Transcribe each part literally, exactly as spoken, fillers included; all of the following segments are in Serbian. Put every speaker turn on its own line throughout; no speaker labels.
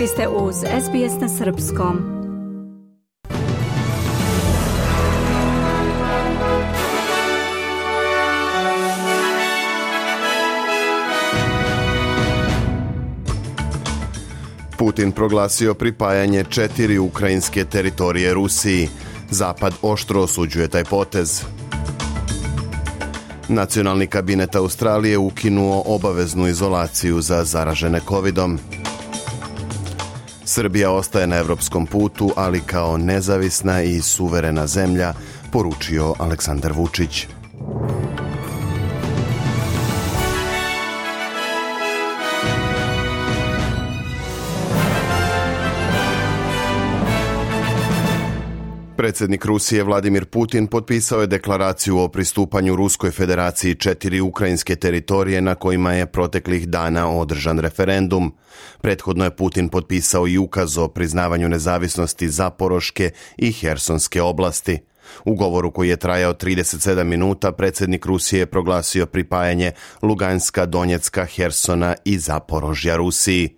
Vi ste uz S B S na srpskom.
Putin proglasio pripajanje četiri ukrajinske teritorije Rusiji. Zapad oštro osuđuje taj potez. Nacionalni kabinet Australije ukinuo obaveznu izolaciju za zaražene kovidom. Srbija ostaje na evropskom putu, ali kao nezavisna i suverena zemlja, poručio Aleksandar Vučić. Predsjednik Rusije Vladimir Putin potpisao je deklaraciju o pristupanju Ruskoj federaciji četiri ukrajinske teritorije na kojima je proteklih dana održan referendum. Prethodno je Putin potpisao i ukaz o priznavanju nezavisnosti Zaporoške i Hersonske oblasti. U govoru koji je trajao trideset sedam minuta, predsjednik Rusije je proglasio pripajanje Luganska, Donjecka, Hersona i Zaporožja Rusiji.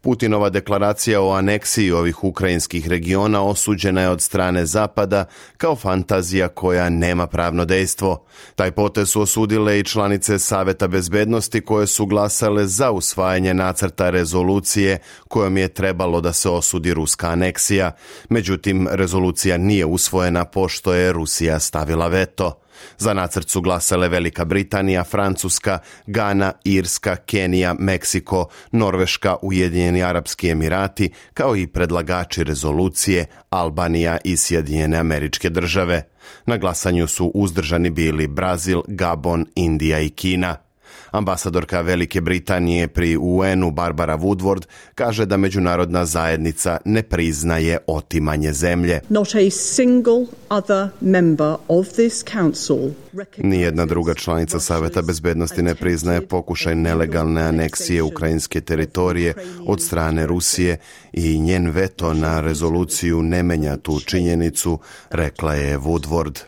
Putinova deklaracija o aneksiji ovih ukrajinskih regiona osuđena je od strane Zapada kao fantazija koja nema pravno dejstvo. Taj potez su osudile i članice Saveta bezbednosti koje su glasale za usvajanje nacrta rezolucije kojom je trebalo da se osudi ruska aneksija. Međutim, rezolucija nije usvojena pošto je Rusija stavila veto. Za nacrt su glasale Velika Britanija, Francuska, Gana, Irska, Kenija, Meksiko, Norveška, Ujedinjeni Arapski Emirati, kao i predlagači rezolucije Albanija i Sjedinjene Američke Države. Na glasanju su uzdržani bili Brazil, Gabon, Indija i Kina. Ambasadorka Velike Britanije pri U N-u Barbara Woodward kaže da međunarodna zajednica ne priznaje otimanje zemlje.
Not a single other member of this council.
Nijedna druga članica Saveta bezbednosti ne priznaje pokušaj nelegalne aneksije ukrajinske teritorije od strane Rusije i njen veto na rezoluciju ne menja tu činjenicu, rekla je Woodward.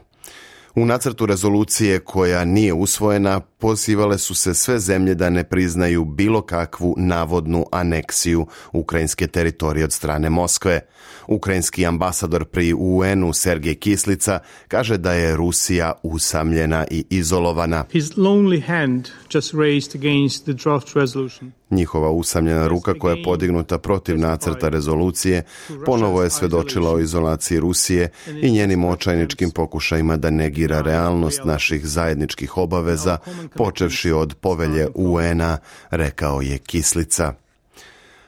U nacrtu rezolucije koja nije usvojena pozivale su se sve zemlje da ne priznaju bilo kakvu navodnu aneksiju ukrajinske teritorije od strane Moskve. Ukrajinski ambasador pri U N-u Sergej Kislica kaže da je Rusija usamljena i izolovana.
His lonely hand just raised against the draft resolution.
Njihova usamljena ruka koja je podignuta protiv nacrta rezolucije ponovo je svedočila o izolaciji Rusije i njenim očajničkim pokušajima da negira realnost naših zajedničkih obaveza, počevši od povelje U N-a, rekao je Kislica.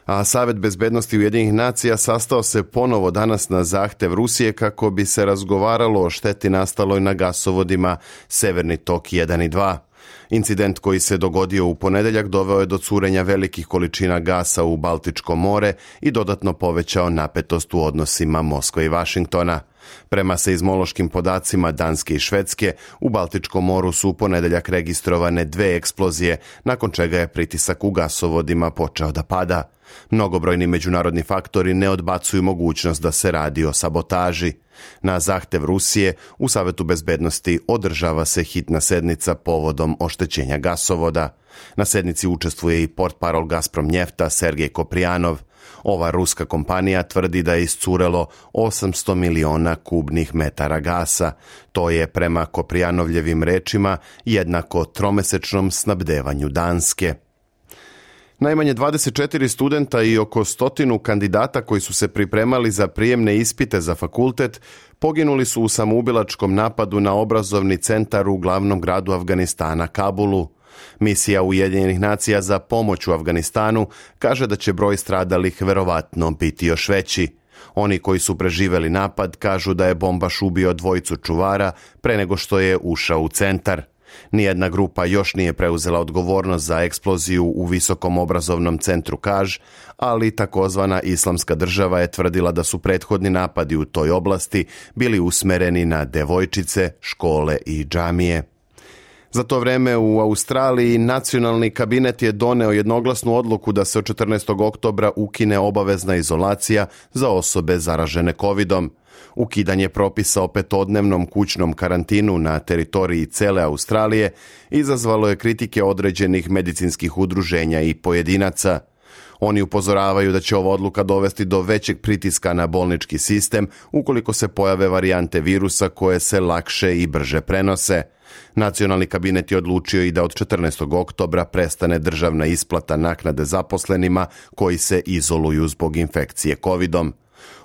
A Savet bezbednosti Ujedinjenih nacija sastao se ponovo danas na zahtev Rusije kako bi se razgovaralo o šteti nastaloj na gasovodima Severni tok jedan i dva. Incident koji se dogodio u ponedeljak doveo je do curenja velikih količina gasa u Baltičko more i dodatno povećao napetost u odnosima Moskve i Vašingtona. Prema seizmološkim podacima Danske i Švedske, u Baltičkom moru su u ponedeljak registrovane dve eksplozije, nakon čega je pritisak u gasovodima počeo da pada. Mnogobrojni međunarodni faktori ne odbacuju mogućnost da se radi o sabotaži. Na zahtev Rusije u Savetu bezbednosti održava se hitna sednica povodom oštećenja gasovoda. Na sednici učestvuje i portparol Gazprom Njefta Sergej Koprijanov. Ova ruska kompanija tvrdi da je iscurelo osamsto miliona kubnih metara gasa. To je prema Koprijanovljevim rečima jednako tromesečnom snabdevanju Danske. Najmanje dvadeset četiri studenta i oko stotinu kandidata koji su se pripremali za prijemne ispite za fakultet poginuli su u samoubilačkom napadu na obrazovni centar u glavnom gradu Afganistana, Kabulu. Misija Ujedinjenih nacija za pomoć u Afganistanu kaže da će broj stradalih verovatno biti još veći. Oni koji su preživeli napad kažu da je bombaš ubio dvojicu čuvara pre nego što je ušao u centar. Nijedna grupa još nije preuzela odgovornost za eksploziju u visokom obrazovnom centru Kaž, ali takozvana Islamska država je tvrdila da su prethodni napadi u toj oblasti bili usmereni na devojčice, škole i džamije. Za to vreme u Australiji nacionalni kabinet je doneo jednoglasnu odluku da se od četrnaestog oktobra ukine obavezna izolacija za osobe zaražene kovidom. Ukidanje propisa o petodnevnom kućnom karantinu na teritoriji cele Australije izazvalo je kritike određenih medicinskih udruženja i pojedinaca. Oni upozoravaju da će ova odluka dovesti do većeg pritiska na bolnički sistem ukoliko se pojave varijante virusa koje se lakše i brže prenose. Nacionalni kabinet je odlučio i da od četrnaestog oktobra prestane državna isplata naknade zaposlenima koji se izoluju zbog infekcije kovidom.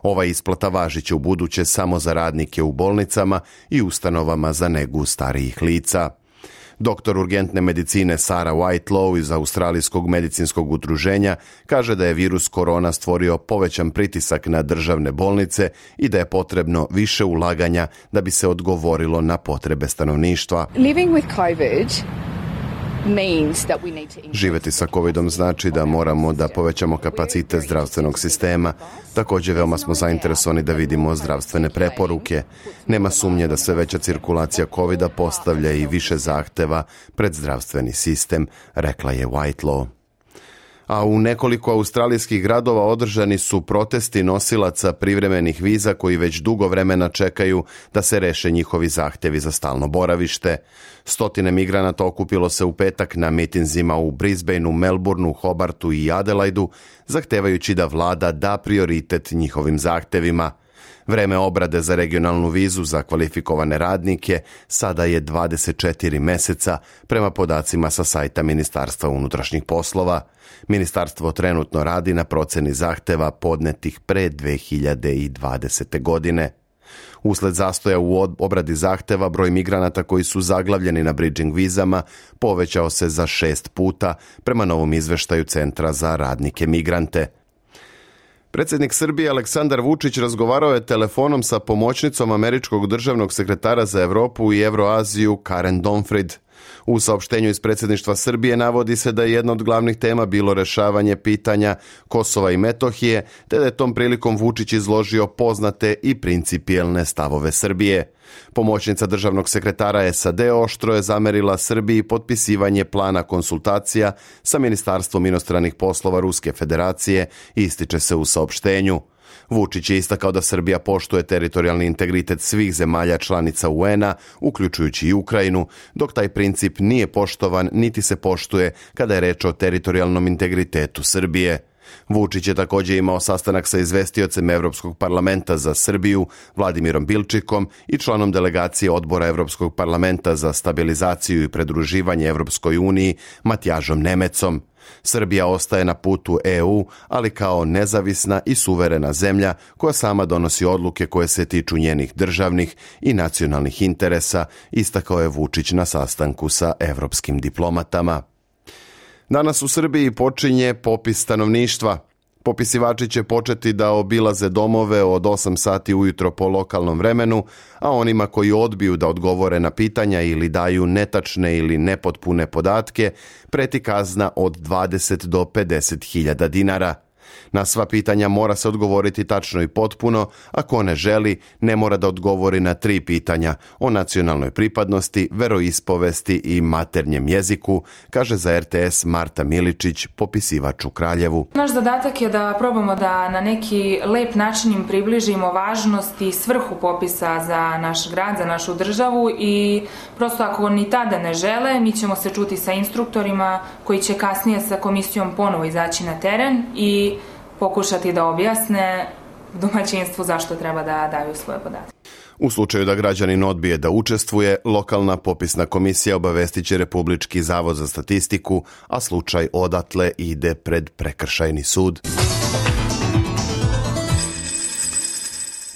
Ova isplata važit će u buduće samo za radnike u bolnicama i ustanovama za negu starijih lica. Doktor urgentne medicine Sarah Whitelow iz Australijskog medicinskog udruženja kaže da je virus korona stvorio povećan pritisak na državne bolnice i da je potrebno više ulaganja da bi se odgovorilo na potrebe stanovništva.
Living with COVID
Živjeti sa covidom znači da moramo da povećamo kapacitet zdravstvenog sistema. Također veoma smo zainteresovani da vidimo zdravstvene preporuke. Nema sumnje da sve veća cirkulacija covida postavlja i više zahteva pred zdravstveni sistem, rekla je Whitelow. A u nekoliko australijskih gradova održani su protesti nosilaca privremenih viza koji već dugo vremena čekaju da se reše njihovi zahtjevi za stalno boravište. Stotine migranata okupilo se u petak na mitinzima u Brisbaneu, Melbourneu, Hobartu i Adelaidu, zahtevajući da vlada da prioritet njihovim zahtjevima. Vreme obrade za regionalnu vizu za kvalifikovane radnike sada je dvadeset četiri meseca prema podacima sa sajta Ministarstva unutrašnjih poslova. Ministarstvo trenutno radi na proceni zahteva podnetih pre dve hiljade dvadesete. godine. Usled zastoja u obradi zahteva, broj migranata koji su zaglavljeni na bridging vizama povećao se za šest puta prema novom izveštaju Centra za radnike migrante. Predsjednik Srbije Aleksandar Vučić razgovarao je telefonom sa pomoćnicom američkog državnog sekretara za Europu i Evroaziju Karen Donfrid. U saopštenju iz predsjedništva Srbije navodi se da je jedna od glavnih tema bilo rešavanje pitanja Kosova i Metohije, te da je tom prilikom Vučić izložio poznate i principijelne stavove Srbije. Pomoćnica državnog sekretara es a de oštro je zamerila Srbiji potpisivanje plana konsultacija sa Ministarstvom inostranih poslova Ruske federacije, ističe se u saopštenju. Vučić je istakao da Srbija poštuje teritorijalni integritet svih zemalja članica u en a, uključujući i Ukrajinu, dok taj princip nije poštovan niti se poštuje kada je reč o teritorijalnom integritetu Srbije. Vučić je također imao sastanak sa izvestiocem Evropskog parlamenta za Srbiju, Vladimirom Bilčikom, i članom delegacije odbora Evropskog parlamenta za stabilizaciju i pridruživanje Evropskoj uniji, Matjažom Nemecom. Srbija ostaje na putu e u, ali kao nezavisna i suverena zemlja koja sama donosi odluke koje se tiču njenih državnih i nacionalnih interesa, istakao je Vučić na sastanku sa evropskim diplomatama. Danas u Srbiji počinje popis stanovništva. Popisivači će početi da obilaze domove od osam sati ujutro po lokalnom vremenu, a onima koji odbiju da odgovore na pitanja ili daju netačne ili nepotpune podatke, preti kazna od dvadeset do pedeset hiljada dinara. Na sva pitanja mora se odgovoriti tačno i potpuno, a ko ne želi, ne mora da odgovori na tri pitanja o nacionalnoj pripadnosti, veroispovesti i maternjem jeziku, kaže za er te es Marta Miličić, popisivač u Kraljevu.
Naš zadatak je da probamo da na neki lep način im približimo važnost i svrhu popisa za naš grad, za našu državu, i prosto ako ni tada ne žele, mi ćemo se čuti sa instruktorima koji će kasnije sa komisijom ponovo izaći na teren i pokušati da objasne domaćinstvu zašto treba da daju svoje podatke.
U slučaju da građanin odbije da učestvuje, lokalna popisna komisija obavestit će Republički zavod za statistiku, a slučaj odatle ide pred prekršajni sud.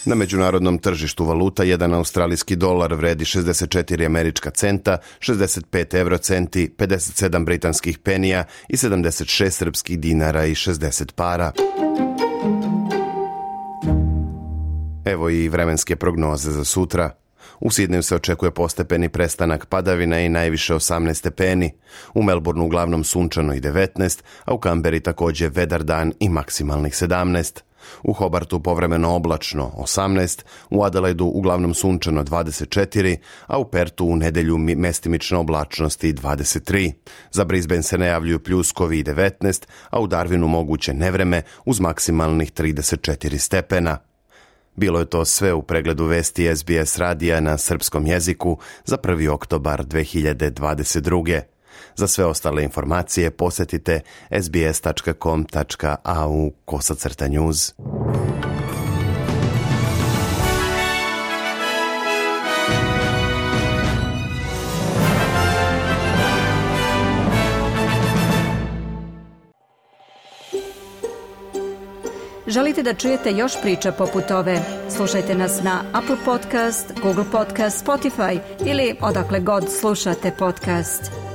Na međunarodnom tržištu valuta jedan australijski dolar vredi šezdeset četiri američka centa, šezdeset pet eurocenti, pedeset sedam britanskih penija i sedamdeset šest srpskih dinara i šezdeset para. Evo i vremenske prognoze za sutra. U Sidneju se očekuje postepeni prestanak padavina i najviše osamnaest stepeni. U Melbourneu uglavnom sunčano i devetnaest, a u Kamberi također vedar dan i maksimalnih sedamnaest. U Hobartu povremeno oblačno osamnaest, u Adelaidu uglavnom sunčano dvadeset četiri, a u Pertu u nedelju mestimična oblačnost i dvadeset tri. Za Brisbane se najavljuju pljuskovi i devetnaest, a u Darwinu moguće nevreme uz maksimalnih trideset četiri stepena. Bilo je to sve u pregledu vesti es be es radija na srpskom jeziku za prvi oktobar dve hiljade dvadeset druge. Za sve ostale informacije posjetite sbs tačka com tačka a u kosacrta news.
Želite da čujete još priča poput ove? Slušajte nas na Apple Podcast, Google Podcast, Spotify ili odakle god slušate podcast.